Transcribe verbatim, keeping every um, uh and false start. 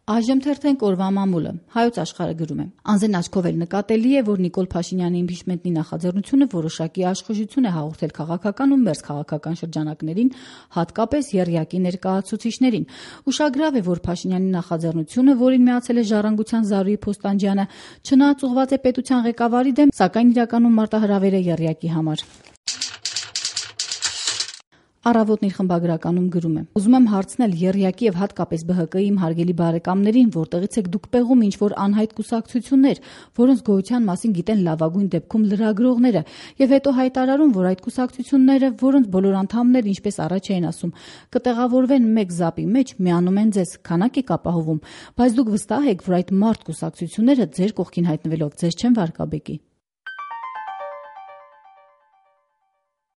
Այժմ թերթենք օրվա մամուլը։ Հայոց աշխարհը գրում է. Անզեն աչքով էլ նկատելի է, որ Նիկոլ Փաշինյանի իմպիչմենտի նախաձեռնությունը որոշակի աշխուժություն է հաղորդել քաղաքական ու մերձքաղաքական շրջանակներին, հատկապես եռյակի ներկայացուցիչներին։ Ուշագրավ է, որ Փաշինյանի նախաձեռնությունը, որին միացել է Ժառանգության Զարուհի Փոստանջյանը, չնայած ուղղված է պետության ղեկավարի դեմ, սակայն իրականում մարտահրավեր է եռյակի համար։ Առավոտն իր խմբագրականում գրում է. Ուզում եմ հարցնել եռյակի եւ հատկապես Բ Հ Կ-ի իմ հարգելի բարեկամներին, որտեղից եք դուք պեղում ինչ-որ անհայտ կուսակցություններ, որոնց գոյության մասին գիտեն լավագույն դեպքում լրագրողները, եւ հետո հայտարարում, որ այդ կուսակցությունները, որոնց բոլոր անդամներն ինչպես առաջ էին ասում, կտեղավորվեն մեկ զապի մեջ, միանում են ձեզ, քանակ եք ապահովում, բայց դուք վստահ եք, որ այդ մարդ կուսակցությունները ձեր կողքին հայտնվելով ձեզ չեն վարկաբեկի։